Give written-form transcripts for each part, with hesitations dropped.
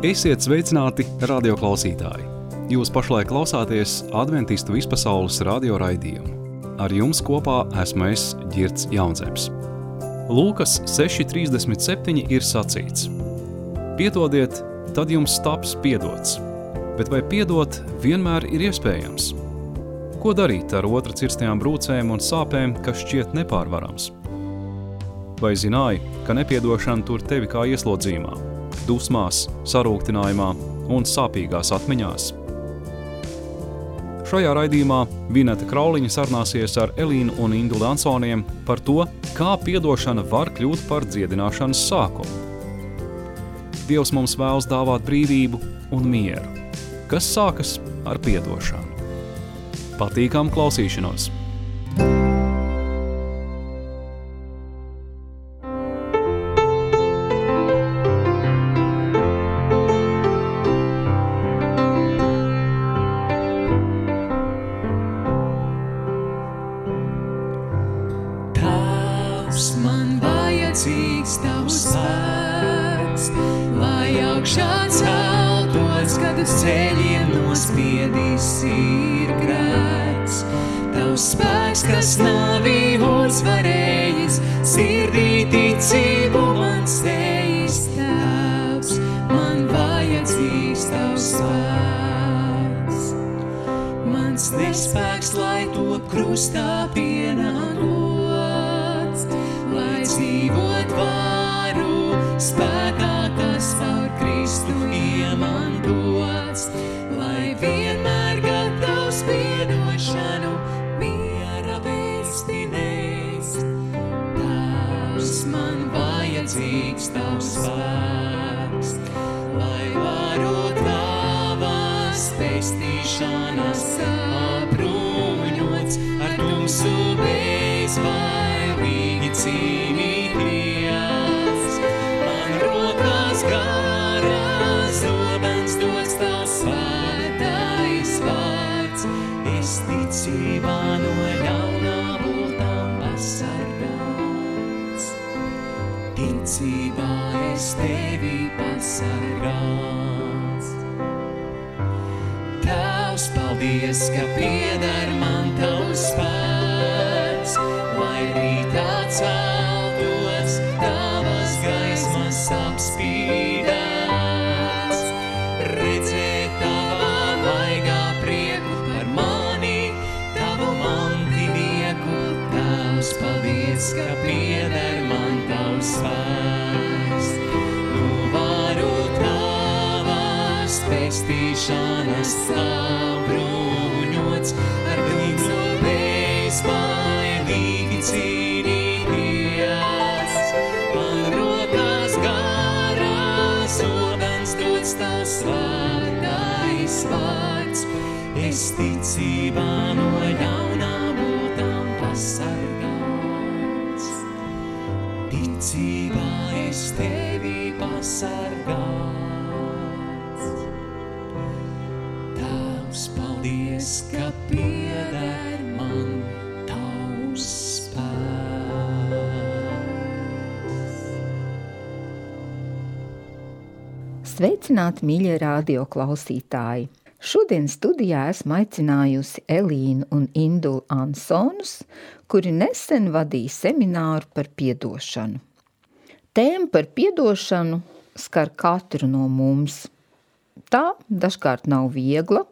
Esiet sveicināti, radioklausītāji! Jūs pašlaik klausāties Adventistu vispasaules radio raidījumu. Ar jums kopā esmu es, Ģirds Jaunzems. Lūkas 6.37 ir sacīts: Piedodiet, tad jums taps piedots. Bet vai piedot vienmēr ir iespējams? Ko darīt ar otra cirstajām brūcēm un sāpēm, kas šķiet nepārvarams? Vai zināji, ka nepiedošana tur tevi kā ieslodzījumā, dusmās, sarūktinājumā un sāpīgās atmiņās? Šajā raidījumā Vineta Krauliņa sarunāsies ar Elīnu un Induli Ansoniem par to, kā piedošana var kļūt par dziedināšanas sākumu. Dievs mums vēlas dāvāt brīvību un mieru, kas sākas ar piedošanu. Patīkam klausīšanos! Kas navi uzvarējis, sirdī ticību man steigs Tēvs, man vajadzīgs Tavs spēks. Mans nespēks, lai to krustā pienākots, lai dzīvot varu spēkā, kas caur Kristu iemantots, lai vienmēr gatavs piedošanu man vajadzīgs Tavs spēks, lai varu Tavas pestīšanas apbruņots, ar tumsu bezbailīgi cīnīties. Man rokās garās zobens dots Tavs svētais vārds, es ticībā no ļaunā būtām pasargāts. Ticībā es Tevi pasargāts. Tavs, paldies, ka pieder man Tavs spēks, lai rītā celtos Tavas gaismas apspīdēts. Redzēt Tavā vaigā prieku par mani, Tavu mantinieku. Tavs, paldies, ka pieder man Tavs spēks, nu varu Tavas pestīšanas apbruņots, ar tumsu bezbailīgi cīnīties. Man rokās garās zobens dots Tavs svētais vārds, es ticībā no ļaunā būtām pasargāts. Ticībā es Tevi pasargāts. Tavs, paldies, ka pieder man Tavs spēks. Sveicināti, mīļie radio klausītāji! Šodien studijā esmu aicinājusi Elīnu un Induli Ansonus, kuri nesen vadīja semināru par piedošanu. Tēma par piedošanu skar katru no mums. Tā dažkārt nav viegla,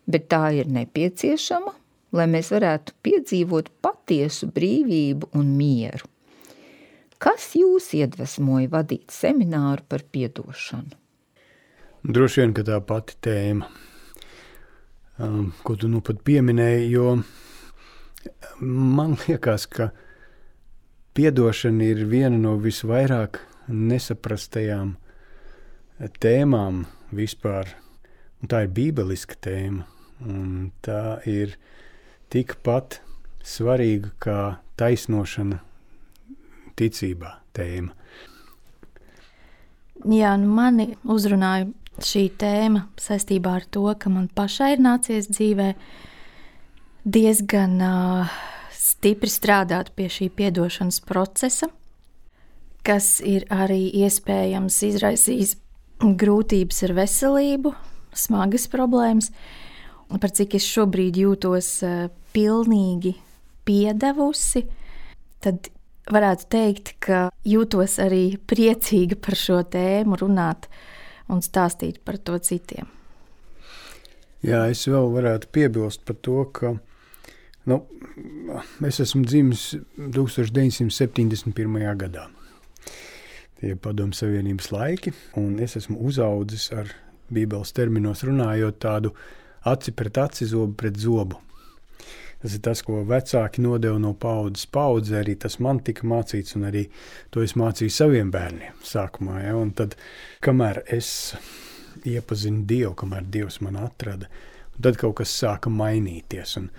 bet tā ir nepieciešama, lai mēs varētu piedzīvot patiesu brīvību un mieru. Kas jūs iedvesmoja vadīt semināru par piedošanu? Droši vien, ka tā pati tēma, ko tu nu pat pieminēji, jo man liekas, ka piedošana ir viena no visvairāk nesaprastajām tēmām vispār. Un tā ir bībeliska tēma, un tā ir tikpat svarīga kā taisnošana ticībā tēma. Jā, mani uzrunāja šī tēma saistībā ar to, ka man pašai ir nācies dzīvē diezgan stipri strādāt pie šī piedošanas procesa, kas ir arī iespējams izraisījis grūtības ar veselību, smagas problēmas, par cik es šobrīd jūtos pilnīgi piedevusi, tad varētu teikt, ka jūtos arī priecīga par šo tēmu runāt un stāstīt par to citiem. Jā, es vēl varētu piebilst par to, ka es esmu dzimis 1971. gadā. Tie ir Padomju Savienības laiki, un es esmu uzaudzis ar Bībeles terminos runājot tādu aci pret aci, zobu pret zobu. Tas ir tas, ko vecāki nodeva no paudzes paudzē, arī tas man tika mācīts, un arī to es mācīju saviem bērniem sākumā. Ja? Un tad, kamēr es iepazinu Dievu, kamēr Dievs man atrada, un tad kaut kas sāka mainīties. Un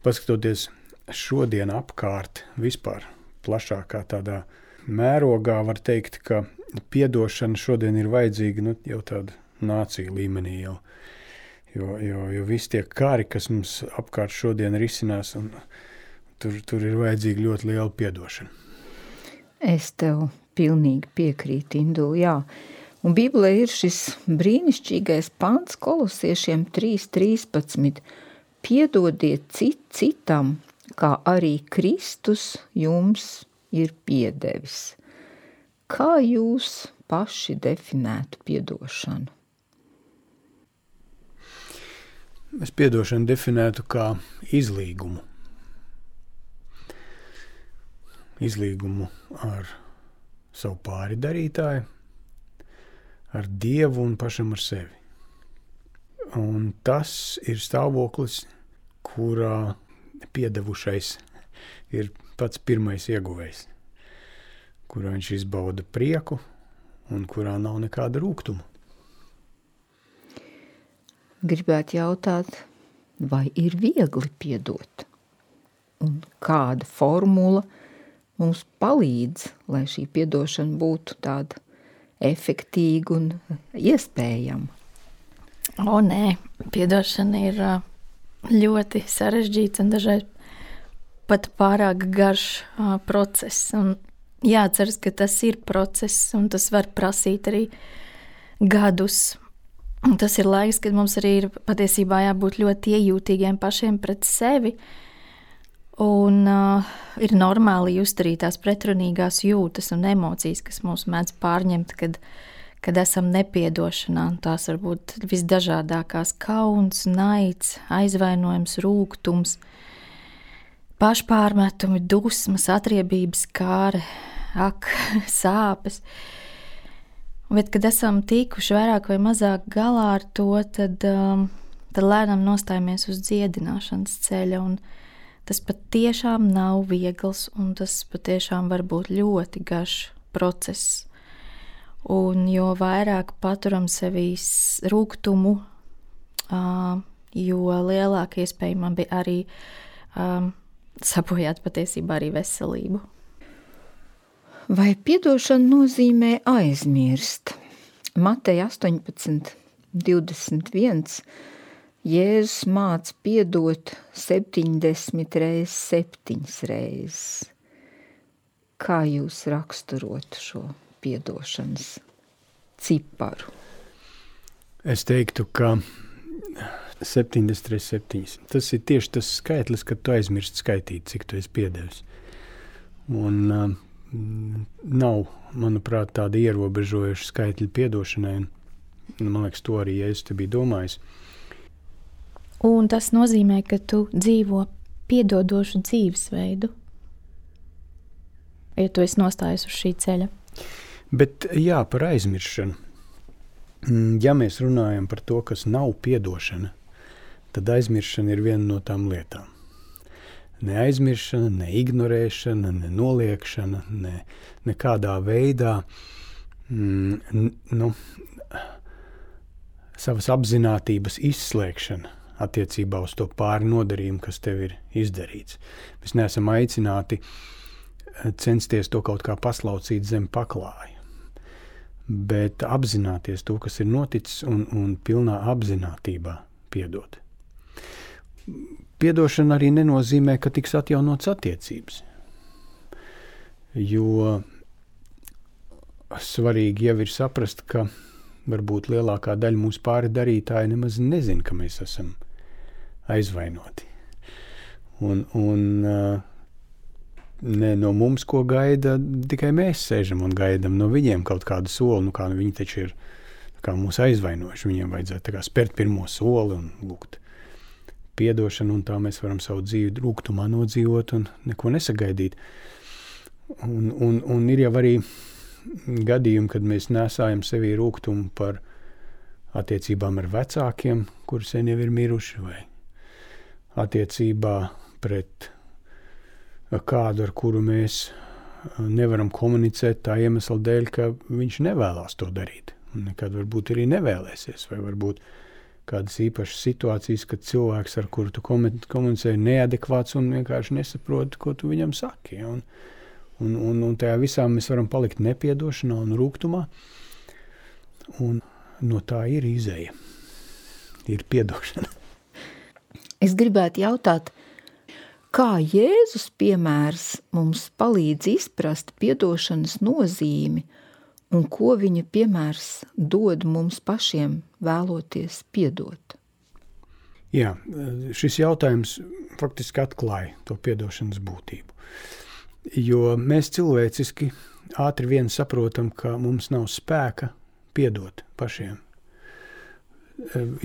paskatoties šodien apkārt vispār plašākā tādā mērogā, var teikt, ka piedošana šodien ir vajadzīga jau tāda nācija līmenī jau. Jo visi tie kari, kas mums apkārt šodien risinās, un tur ir vajadzīga ļoti liela piedošana. Es tev pilnīgi piekrītu, Indul, jā. Un Bībelē ir šis brīnišķīgais pants Kolosiešiem 3:13. Piedodiet citam, kā arī Kristus jums ir piedevis. Kā jūs paši definētu piedošanu? Es piedošanu definētu kā izlīgumu. Izlīgumu ar savu pāridarītāju, ar Dievu un pašam ar sevi. Un tas ir stāvoklis, kurā piedevušais ir pats pirmais ieguvējs, kurā viņš izbauda prieku un kurā nav nekāda rūgtuma. Gribētu jautāt, vai ir viegli piedot? Un kāda formula mums palīdz, lai šī piedošana būtu tāda efektīga un iespējama? Nē, piedošana ir ļoti sarežģīts un dažreiz pat pārāk garš process. Un jāatceras, ka tas ir process un tas var prasīt arī gadus. Un tas ir laiks, kad mums arī ir patiesībā jābūt ļoti iejūtīgiem pašiem pret sevi. Un ir normāli just arī tās pretrunīgās jūtas un emocijas, kas mūs mēdz pārņemt, kad esam nepiedošanā. Tās var būt visdažādākās kauns, naids, aizvainojums, rūgtums, pašpārmetumi, dusmas, atriebības, kāre, sāpes. Bet, kad esam tikuši vairāk vai mazāk galā ar to, tad lēnām nostājamies uz dziedināšanas ceļa. Un tas patiešām nav viegls, un tas patiešām var būt ļoti garš process. Un jo vairāk paturam sevī rūgtumu, jo lielāka iespējama bija arī sabojāt patiesībā arī veselību. Vai piedošana nozīmē aizmirst? Mateja 18:21 Jēzus māca piedot 70 reizes 7 reizes. Kā jūs raksturotu šo piedošanas ciparu? Es teiktu, ka 70 reizes 7. Tas ir tieši tas skaitlis, kad tu aizmirsti skaitīt, cik tu esi piedevis. Un nav, manuprāt, tāda ierobežojuša skaitļa piedošanai. Man liekas, to arī Jēzus te bija domājis. Un tas nozīmē, ka tu dzīvo piedodošu dzīvesveidu, ja tu esi nostājies uz šī ceļa. Bet jā, par aizmiršanu. Ja mēs runājam par to, kas nav piedošana, tad aizmiršana ir viena no tām lietām. Ne aizmiršana, ne ignorēšana, ne noliekšana, nekādā veidā savas apzinātības izslēgšana attiecībā uz to pārnodarījumu, kas tev ir izdarīts. Mēs neesam aicināti censties to kaut kā paslaucīt zem paklāja, bet apzināties to, kas ir noticis, un pilnā apzinātībā piedot. Piedošana arī nenozīmē, ka tiks atjaunotas attiecības, jo svarīgi jau ir saprast, ka varbūt lielākā daļa mūsu pāri darītāji nemaz nezin, ka mēs esam aizvainoti. Ne no mums, ko gaida, tikai mēs sēžam un gaidam no viņiem kaut kādu soli, kā viņi taču ir kā mūs aizvainojuši, viņiem vajadzētu tā kā spērt pirmo soli un lūgt piedošanu, un tā mēs varam savu dzīvi rūgtumā nodzīvot un neko nesagaidīt. Un ir jau arī gadījumi, kad mēs nesājam sevī rūgtumu par attiecībām ar vecākiem, kuri sen jau ir miruši, vai attiecībā pret kādu, ar kuru mēs nevaram komunicēt tā iemesla dēļ, ka viņš nevēlās to darīt. Un nekad varbūt arī nevēlēsies, vai varbūt kādas īpašas situācijas, kad cilvēks, ar kuru tu komunicē, ir neadekvāts un vienkārši nesaprot, ko tu viņam saki. Un tajā visā mēs varam palikt nepiedošanā un rūgtumā. Un no tā ir izēja. Ir piedošana. Es gribētu jautāt, kā Jēzus piemērs mums palīdz izprast piedošanas nozīmi un ko viņa piemērs dod mums pašiem vēloties piedot? Jā, šis jautājums faktiski atklāja to piedošanas būtību. Jo mēs cilvēciski ātri vien saprotam, ka mums nav spēka piedot pašiem.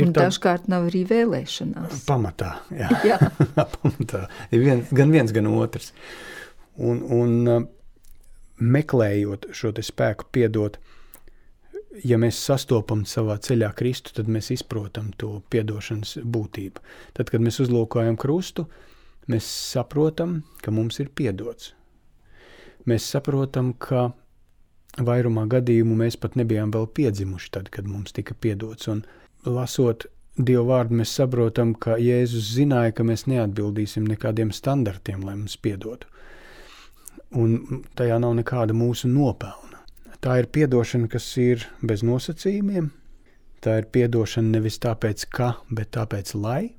Un dažkārt nav arī vēlēšanās. Pamatā, jā. Jā. Pamatā. Ir gan viens, gan otrs. Un meklējot šo te spēku piedot, ja mēs sastopam savā ceļā Kristu, tad mēs izprotam to piedošanas būtību. Tad, kad mēs uzlūkojam krustu, mēs saprotam, ka mums ir piedots. Mēs saprotam, ka vairumā gadījumu mēs pat nebijām vēl piedzimuši tad, kad mums tika piedots. Un lasot Dievu vārdu, mēs saprotam, ka Jēzus zināja, ka mēs neatbildīsim nekādiem standartiem, lai mums piedotu. Un tajā nav nekāda mūsu nopelna. Tā ir piedošana, kas ir bez nosacījumiem. Tā ir piedošana nevis tāpēc, ka, bet tāpēc, lai.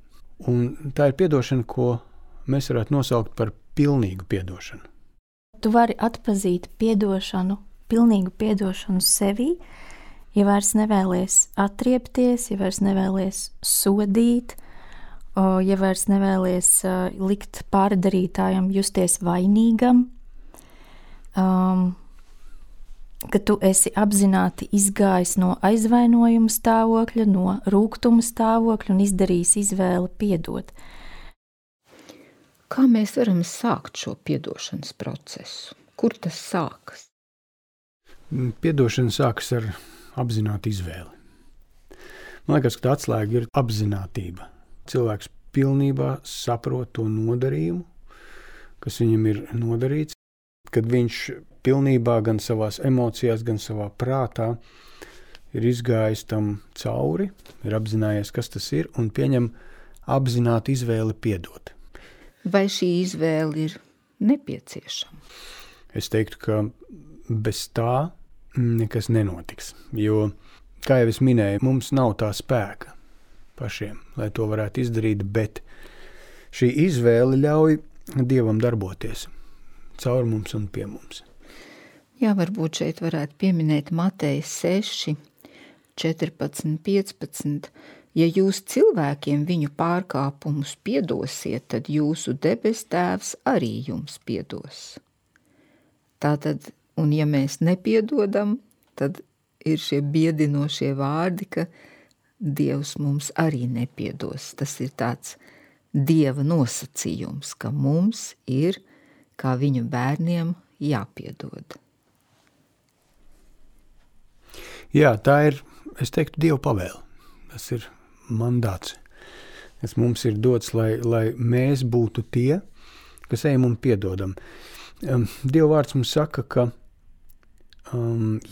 Un tā ir piedošana, ko mēs varētu nosaukt par pilnīgu piedošanu. Tu vari atpazīt piedošanu, pilnīgu piedošanu sevī, ja vairs nevēlies atriepties, ja vairs nevēlies sodīt, ja vairs nevēlies likt pārdarītājam justies vainīgam, ka tu esi apzināti izgājis no aizvainojuma stāvokļa, no rūgtuma stāvokļa un izdarījis izvēli piedot. Kā mēs varam sākt šo piedošanas procesu? Kur tas sākas? Piedošana sākas ar apzinātu izvēli. Man liekas, ka tā atslēga ir apzinātība. Cilvēks pilnībā saprot to nodarījumu, kas viņam ir nodarīts, kad viņš pilnībā gan savās emocijās, gan savā prātā ir izgājis tam cauri, ir apzinājies, kas tas ir, un pieņem apzinātu izvēli piedot. Vai šī izvēle ir nepieciešama? Es teiktu, ka bez tā nekas nenotiks, jo, kā jau es minēju, mums nav tā spēka pašiem, lai to varētu izdarīt, bet šī izvēle ļauj Dievam darboties caur mums un pie mums. Jā, varbūt šeit varētu pieminēt Mateja 6, 14, 15. Ja jūs cilvēkiem viņu pārkāpumus piedosiet, tad jūsu debes tēvs arī jums piedos. Tātad, un ja mēs nepiedodam, tad ir šie biedinošie vārdi, ka Dievs mums arī nepiedos. Tas ir tāds Dieva nosacījums, ka mums ir, kā viņa bērniem, jāpiedod. Jā, tā ir, es teiktu, Dieva pavēle. Tas ir mandāts, kas mums ir dots, lai mēs būtu tie, kas ejam un piedodam. Dieva vārds mums saka, ka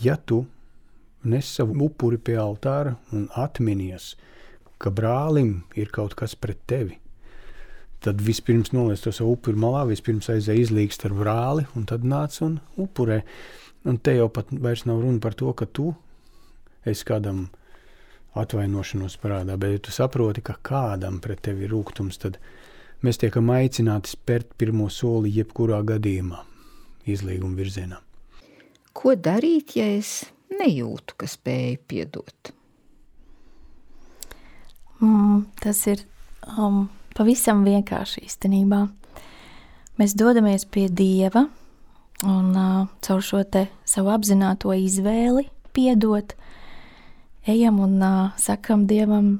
ja tu nes savu upuri pie altāra un atminies, ka brālim ir kaut kas pret tevi, tad vispirms noliec to savu upuri malā, vispirms aizēj izlīgst ar brāli un tad nāc un upurē. Un te jau pat vairs nav runa par to, ka tu esi kādam atvainošanos parādā, bet ja tu saproti, ka kādam pret tevi ir rūgtums, tad mēs tiekam aicināti spērt pirmo soli jebkurā gadījumā izlīguma virzienā. Ko darīt, ja es nejūtu, ka spēju piedot? Tas ir pavisam vienkārši īstenībā. Mēs dodamies pie Dieva un caur šo te savu apzināto izvēli piedot, ejam un sakam Dievam,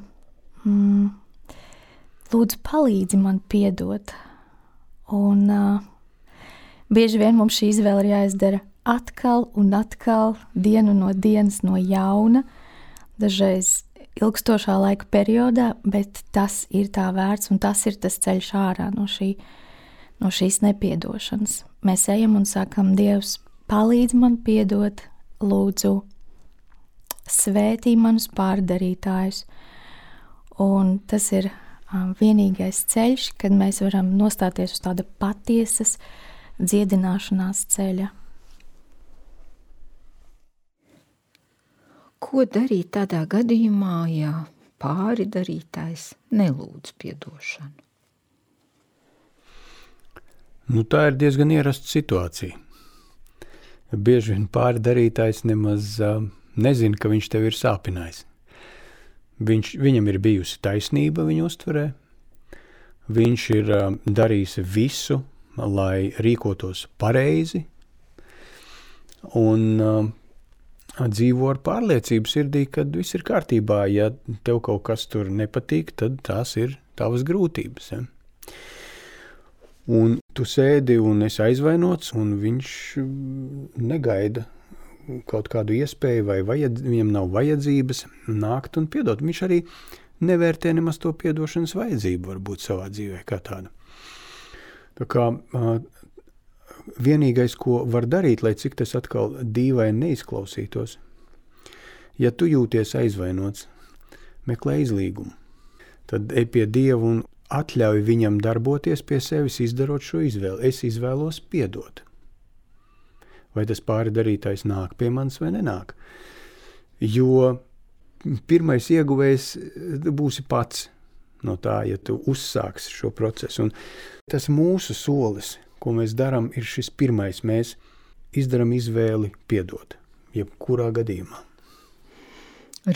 lūdzu palīdzi man piedot. Un bieži vien mums šī izvēle ir jāizdara atkal un atkal, dienu no dienas no jauna, dažreiz ilgstošā laika periodā, bet tas ir tā vērts un tas ir tas ceļš ārā no šīs nepiedošanas. Mēs ejam un sakam, Dievs, palīdz man piedot, lūdzu, svētī manus pārdarītājus. Un tas ir vienīgais ceļš, kad mēs varam nostāties uz tāda patiesas dziedināšanās ceļa. Ko darīt tādā gadījumā, ja pāri darītājs nelūdz piedošanu? Tā ir diezgan ierasta situācija. Bieži vien pāri darītājs nemaz nezina, ka viņš tev ir sāpinājis. Viņam ir bijusi taisnība viņa uztverē. Viņš ir darījis visu, lai rīkotos pareizi. Un dzīvo ar pārliecību sirdī, ka viss ir kārtībā. Ja tev kaut kas tur nepatīk, tad tās ir tavas grūtības. Ja? Un tu sēdi un esi aizvainots, un viņš negaida kaut kādu iespēju, vai viņam nav vajadzības nākt un piedot. Viņš arī nevērtē nemaz to piedošanas vajadzību varbūt savā dzīvē kā tādu. Tā kā vienīgais, ko var darīt, lai cik tas atkal dīvaini neizklausītos, ja tu jūties aizvainots, meklē izlīgumu. Tad ej pie Dieva un atļauj viņam darboties pie sevis, izdarot šo izvēli. Es izvēlos piedot. Vai tas pāri darītājs nāk pie manis vai nenāk. Jo pirmais ieguvējs būsi pats no tā, ja tu uzsāksi šo procesu. Un tas mūsu solis, ko mēs darām, ir šis pirmais. Mēs izdaram izvēli piedot, jebkurā gadījumā.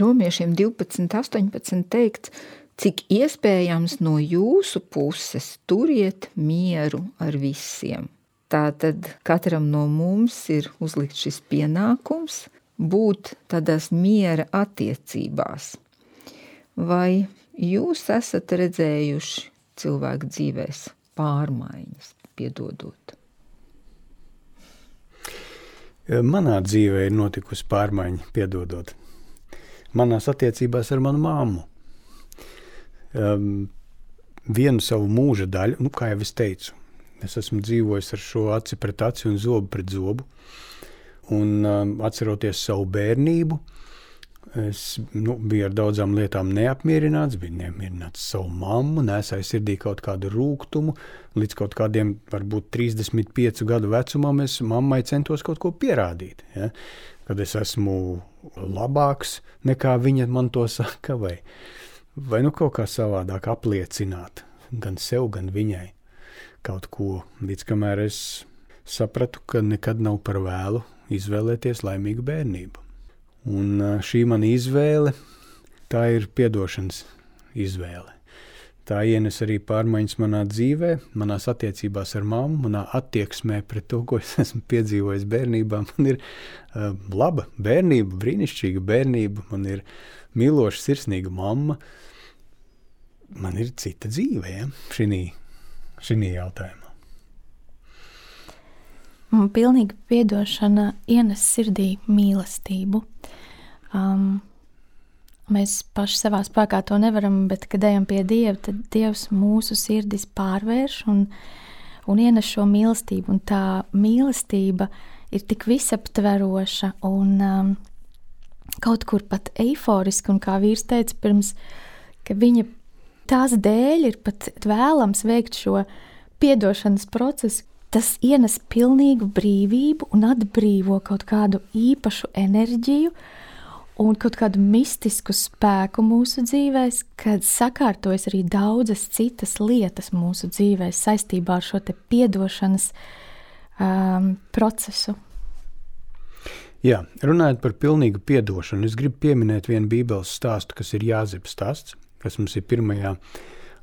Romiešiem 12:18 teikts, cik iespējams no jūsu puses turiet mieru ar visiem. Tātad katram no mums ir uzlikt šis pienākums būt tādās miera attiecībās. Vai jūs esat redzējuši cilvēku dzīvēs pārmaiņas, piedodot? Manā dzīvē ir notikusi pārmaiņa, piedodot. Manās attiecībās ar manu mammu. Vienu savu mūža daļu, kā jau es teicu, es esmu dzīvojis ar šo aci pret aci un zobu pret zobu. Un atceroties savu bērnību, es biju ar daudzām lietām neapmierināts, biju neapmierināts savu mammu, nesāju sirdī kaut kādu rūgtumu. Līdz kaut kādiem, varbūt 35 gadu vecumam, es mammai centos kaut ko pierādīt. Ja? Kad es esmu labāks nekā viņa man to saka, vai kaut kā savādāk apliecināt gan sev, gan viņai kaut ko, līdz kamēr es sapratu, ka nekad nav par vēlu izvēlēties laimīgu bērnību. Un šī mana izvēle, tā ir piedošanas izvēle. Tā ienes arī pārmaiņas manā dzīvē, manās attiecībās ar mammu, manā attieksmē pret to, ko es esmu piedzīvojis bērnībā. Man ir laba bērnība, brīnišķīga bērnība, man ir mīloša, sirsnīga mamma. Man ir cita dzīve, ja? šī jautājumā. Pilnīga piedošana ienes sirdī mīlestību. Mēs paši savā spēkā to nevaram, bet, kad ejam pie Dieva, tad Dievs mūsu sirdis pārvērš un ienes šo mīlestību. Un tā mīlestība ir tik visaptveroša un kaut kur pat eiforiska. Un kā vīrs teica pirms, ka viņa tās dēļ ir pat vēlams veikt šo piedošanas procesu. Tas ienes pilnīgu brīvību un atbrīvo kaut kādu īpašu enerģiju un kaut kādu mistisku spēku mūsu dzīvēs, kad sakārtojas arī daudzas citas lietas mūsu dzīvēs saistībā ar šo te piedošanas procesu. Jā, runājot par pilnīgu piedošanu, es gribu pieminēt vienu bībeles stāstu, kas ir Jāzepa stāsts, kas mums ir 1.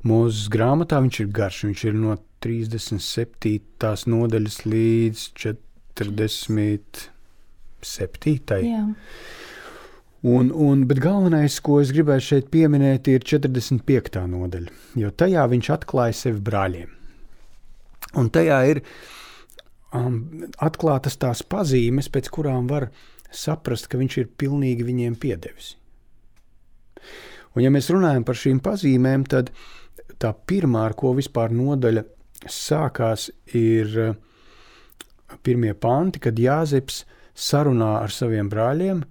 Mūzes grāmatā. Viņš ir garš, viņš ir no 37. nodaļas līdz 47. Jā. Bet galvenais, ko es gribēju šeit pieminēt, ir 45. nodaļa, jo tajā viņš atklāja sevi brāļiem. Un tajā ir atklātas tās pazīmes, pēc kurām var saprast, ka viņš ir pilnīgi viņiem piedevis. Un ja mēs runājam par šīm pazīmēm, tad tā pirmā, ar ko vispār nodaļa sākās, ir 1. panti, kad Jāzeps sarunā ar saviem brāļiem.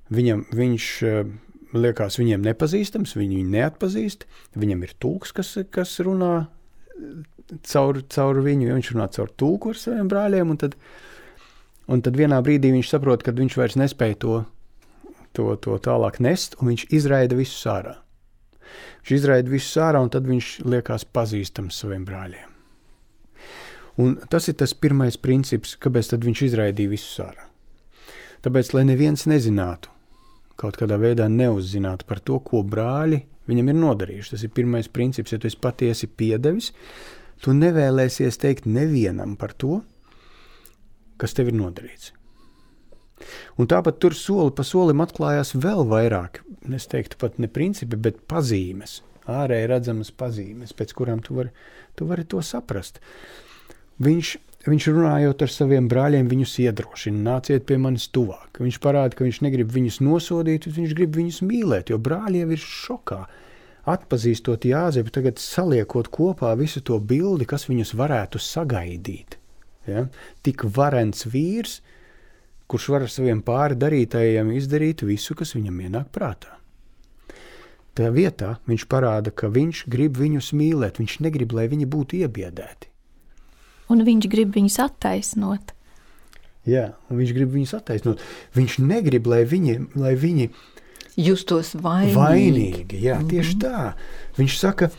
Viņš liekas viņiem nepazīstams, viņi viņu neatpazīst, viņam ir tulks, kas runā caur viņu, viņš runā caur tulku ar saviem brāļiem, un tad vienā brīdī viņš saprot, ka viņš vairs nespēja to tālāk nest, un viņš izraida visus ārā. Viņš izraida visus ārā, un tad viņš liekas pazīstams saviem brāļiem. Un tas ir tas pirmais princips, kāpēc tad viņš izraidīja visus ārā. Tāpēc, lai neviens nezinātu, kaut kādā veidā neuzzinātu par to, ko brāļi viņam ir nodarījuši. Tas ir pirmais princips, ja tu esi patiesi piedevis, tu nevēlēsies teikt nevienam par to, kas tev ir nodarīts. Un tāpat tur soli pa solim atklājās vēl vairāk, es teiktu pat ne principi, bet pazīmes, ārēji redzamas pazīmes, pēc kurām tu vari to saprast. Viņš runājot ar saviem brāļiem, viņus iedrošina, nāciet pie manis tuvāk. Viņš parāda, ka viņš negrib viņus nosodīt, viņš grib viņus mīlēt, jo brāļi jau ir šokā. Atpazīstot Jāzepu, tagad saliekot kopā visu to bildi, kas viņus varētu sagaidīt. Ja? Tik varens vīrs, kurš var ar saviem pāri darītājiem izdarīt visu, kas viņam ienāk prātā. Tajā vietā viņš parāda, ka viņš grib viņus mīlēt, viņš negrib, lai viņi būtu iebiedēti. Un viņš grib viņus attaisnot. Jā, un viņš grib viņus attaisnot. Viņš negrib, lai viņi justos vainīgi. Vainīgi, jā, tieši tā. Viņš saka,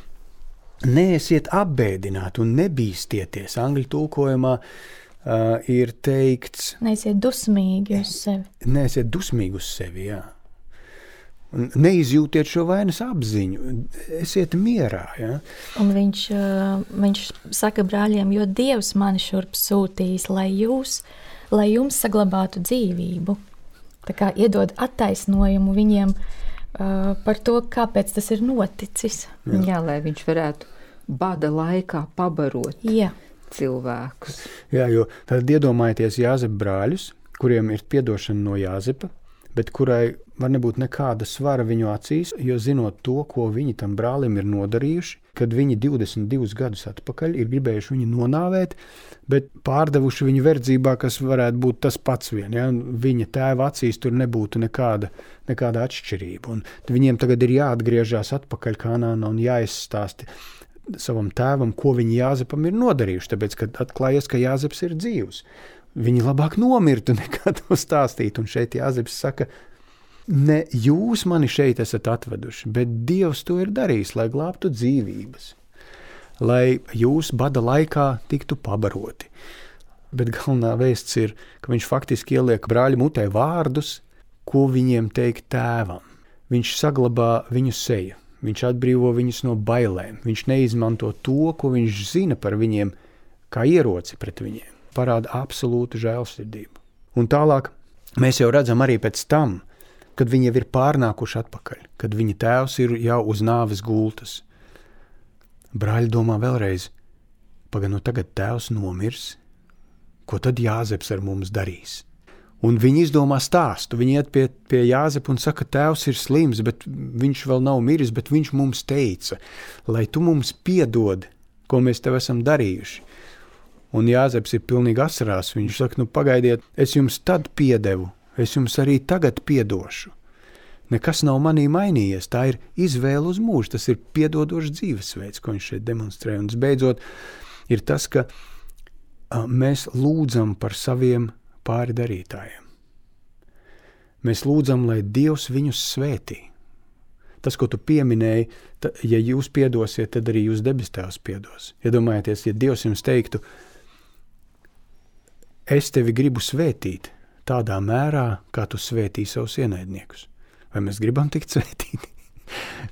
neesiet apbēdināti un nebīstieties. Angļu tulkojumā ir teikts... Neesiet dusmīgi uz sevi. Neesiet dusmīgi uz sevi, jā. Neizjūtiet šo vainas apziņu, esiet mierā. Ja? Un viņš saka brāļiem, jo Dievs mani šurp sūtījis, lai jums saglabātu dzīvību. Tā kā iedod attaisnojumu viņiem par to, kāpēc tas ir noticis. Jā, lai viņš varētu bada laikā pabarot cilvēkus. Jā, jo tad iedomājieties Jāzepa brāļus, kuriem ir piedošana no Jāzepa, bet kurai var nebūt nekāda svara viņu acīs, jo zinot to, ko viņi tam brālim ir nodarījuši, kad viņi 22 gadus atpakaļ ir gribējuši viņu nonāvēt, bet pārdevuši viņu verdzībā, kas varētu būt tas pats vien. Ja? Viņa tēva acīs tur nebūtu nekāda atšķirība. Un viņiem tagad ir jāatgriežās atpakaļ Kanānā un jāizstāsti savam tēvam, ko viņi Jāzepam ir nodarījuši, tāpēc, kad atklājies, ka Jāzeps ir dzīvs. Viņi labāk nomirtu nekā to stāstīt. Un šeit Jāzeps saka, ne jūs mani šeit esat atveduši, bet Dievs to ir darījis, lai glābtu dzīvības, lai jūs bada laikā tiktu pabaroti. Bet galvenā vēsts ir, ka viņš faktiski ieliek brāļu mutē vārdus, ko viņiem teikt tēvam. Viņš saglabā viņu seju, viņš atbrīvo viņus no bailēm, viņš neizmanto to, ko viņš zina par viņiem, kā ieroci pret viņiem. Parāda absolūtu žēlsirdību. Un tālāk mēs jau redzam arī pēc tam, kad viņi jau ir pārnākuši atpakaļ, kad viņa tēvs ir jau uz nāves gultas. Brāļi domā vēlreiz, nu tagad tēvs nomirs, ko tad Jāzeps ar mums darīs? Un viņi izdomā stāstu, viņi iet pie Jāzepa un saka, tēvs ir slims, bet viņš vēl nav miris, bet viņš mums teica, lai tu mums piedod, ko mēs tev esam darījuši. Un Jāzeps ir pilnīgi asarās. Viņš saka, pagaidiet, es jums tad piedevu, es jums arī tagad piedošu. Nekas nav manī mainījies, tā ir izvēle uz mūžu, tas ir piedodošs dzīvesveids, ko viņš šeit demonstrē. Un beidzot ir tas, ka mēs lūdzam par saviem pāridarītājiem. Mēs lūdzam, lai Dievs viņus svētī. Tas, ko tu pieminēji, ja jūs piedosiet, tad arī jūs debes tēvs piedos. Iedomājieties, ja Dievs jums teiktu, es tevi gribu svētīt, tādā mērā, kā tu svētī savus ienaidniekus. Vai mēs gribam tikt svētīti?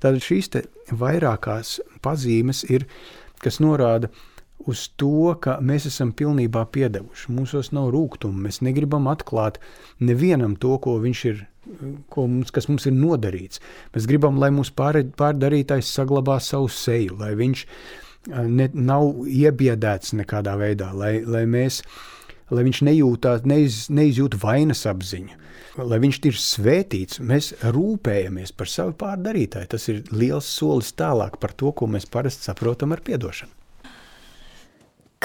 Tātad šīs te vairākās pazīmes ir, kas norāda uz to, ka mēs esam pilnībā piedevuši. Mūsos nav rūgtuma, mēs negribam atklāt nevienam to, kas mums ir nodarīts. Mēs gribam, lai mūsu pārdarītājs saglabā savu seju, lai viņš nav iebiedēts nekādā veidā, lai viņš neizjūt vainas apziņu, lai viņš ir svētīts. Mēs rūpējamies par savu pārdarītāju. Tas ir liels solis tālāk par to, ko mēs parasti saprotam ar piedošanu.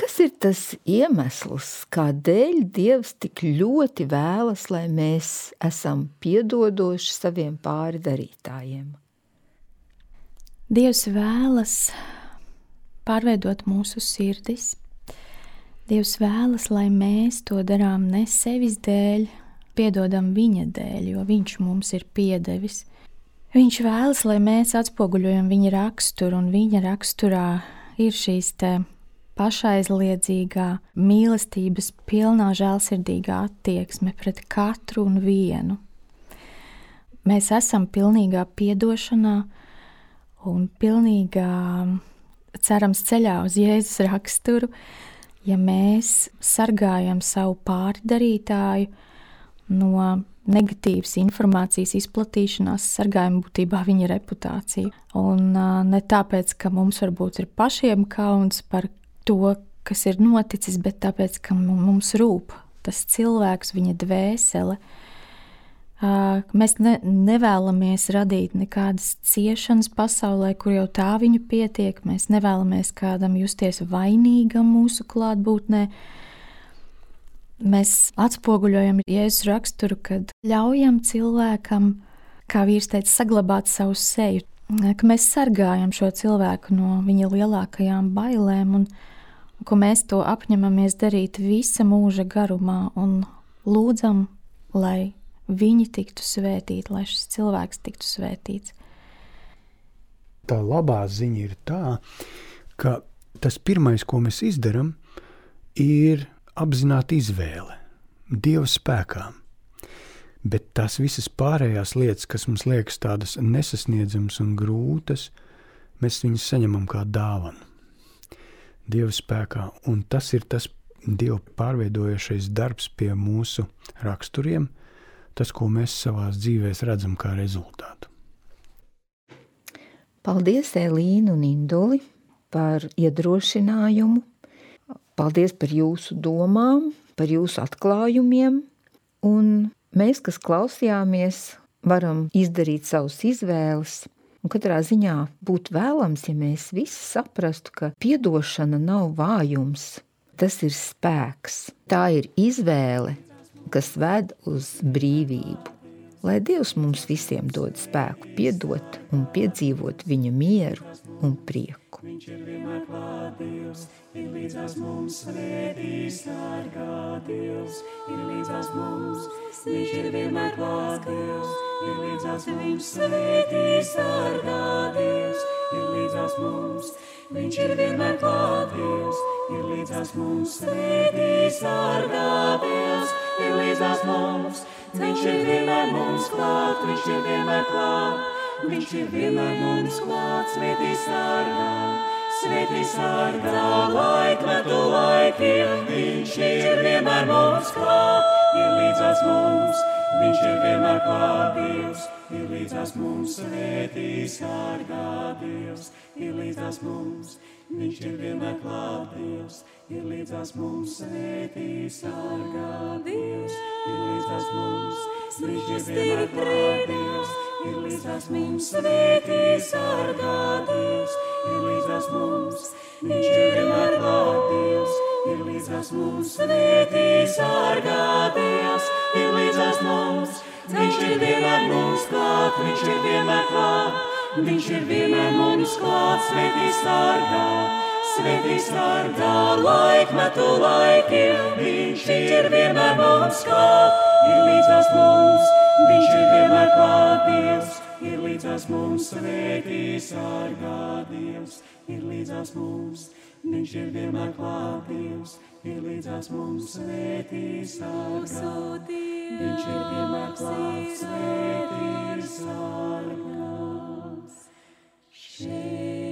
Kas ir tas iemesls, kādēļ Dievs tik ļoti vēlas, lai mēs esam piedodoši saviem pārdarītājiem? Dievs vēlas pārveidot mūsu sirdis. Dievs vēlas, lai mēs to darām ne sevis dēļ, piedodam viņa dēļ, jo viņš mums ir piedevis. Viņš vēlas, lai mēs atspoguļojam viņa raksturu, un viņa raksturā ir šīs te pašaizliedzīgā, mīlestības pilnā, žēlsirdīgā attieksme pret katru un vienu. Mēs esam pilnīgā piedošanā un pilnīgā, cerams, ceļā uz Jēzus raksturu, ja mēs sargājam savu pārdarītāju no negatīvas informācijas izplatīšanās, sargājam būtībā viņa reputāciju. Un ne tāpēc, ka mums varbūt ir pašiem kauns par to, kas ir noticis, bet tāpēc, ka mums rūp tas cilvēks, viņa dvēsele. Mēs nevēlamies radīt nekādas ciešanas pasaulē, kur jau tā viņu pietiek. Mēs nevēlamies kādam justies vainīgam mūsu klātbūtnē. Mēs atspoguļojam Jēzus raksturu, kad ļaujam cilvēkam, kā vīrs teica, saglabāt savu seju, ka mēs sargājam šo cilvēku no viņa lielākajām bailēm un ka mēs to apņemamies darīt visa mūža garumā un lūdzam, lai viņi tiktu svētīti, lai šis cilvēks tiktu svētīts. Tā labā ziņa ir tā, ka tas pirmais, ko mēs izdaram, ir apzināta izvēle Dieva spēkā. Bet tās visas pārējās lietas, kas mums liekas tādas nesasniedzamas un grūtas, mēs viņus saņemam kā dāvanu Dieva spēkā. Un tas ir tas Dieva pārveidojošais darbs pie mūsu raksturiem, tas, ko mēs savās dzīvēs redzam kā rezultātu. Paldies, Elīna un Induli, par iedrošinājumu. Paldies par jūsu domām, par jūsu atklājumiem. Un mēs, kas klausījāmies, varam izdarīt savus izvēles. Un katrā ziņā būtu vēlams, ja mēs visi saprastu, ka piedošana nav vājums. Tas ir spēks. Tā ir izvēle, kas ved uz brīvību. Lai Dievs mums visiem dod spēku piedot un piedzīvot viņa mieru un prieku. Viņš ir vienmēr klāt Dievs, ir līdzās mums, svētī sargā Dievs, ir līdzās mums. Viņš ir vienmēr klāt Dievs, ir līdzās mums, svētī sargā Dievs, ir līdzās mums. Viņš ir vienmēr klāt Dievs, ir līdzās mums, svētī sargā Dievs, ir līdzās mums. Viņš ir vienmēr mums klāt, viņš ir vienmēr klāt, viņš ir vienmēr mums klāt, svētī sargā, laikmetu laikiem. Viņš ir vienmēr mums klāt, ir līdzās mums, viņš ir vienmēr klāt Dievs, ir līdzās mums, svētī sargā Dievs, ir līdzās mums. Viņš ir vienmēr klāt Dievs, ir līdzās mums, svētī sargā Dievs, ir līdzās mums. Viņš ir vienmēr klāt Dievs, ir līdzās mums, svētī sargā Dievs, ir līdzās mums. Viņš ir vienmēr klāt Dievs, ir līdzās mums, svētī sargā Dievs, ir līdzās mums. Viņš ir vienmēr mums klāt, viņš ir vienmēr klāt. Viņš ir vienmēr mums klāt, svētī sargā, laikmetu laikiem. Viņš ir vienmēr mums klāt, ir līdzās mums. Viņš ir vienmēr klāt Dievs, ir līdzās mums, svētī sargā Dievs, ir līdzās mums. Viņš ir vienmēr klāt Dievs, ir līdzās mums, svētī sargā. viņš ir vienmēr klāts, svētī sargās šeit.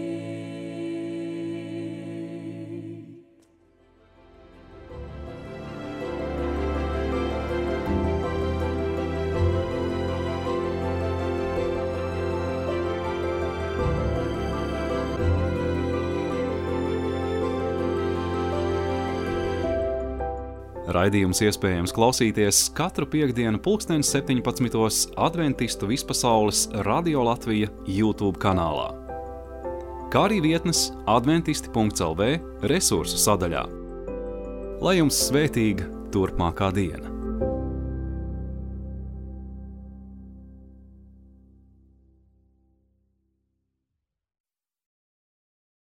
Raidījums iespējams klausīties katru piektdienu 17:00 Adventistu vispasaules Radio Latvija YouTube kanālā, kā arī vietnes adventisti.lv resursu sadaļā. Lai jums svētīga turpmākā diena!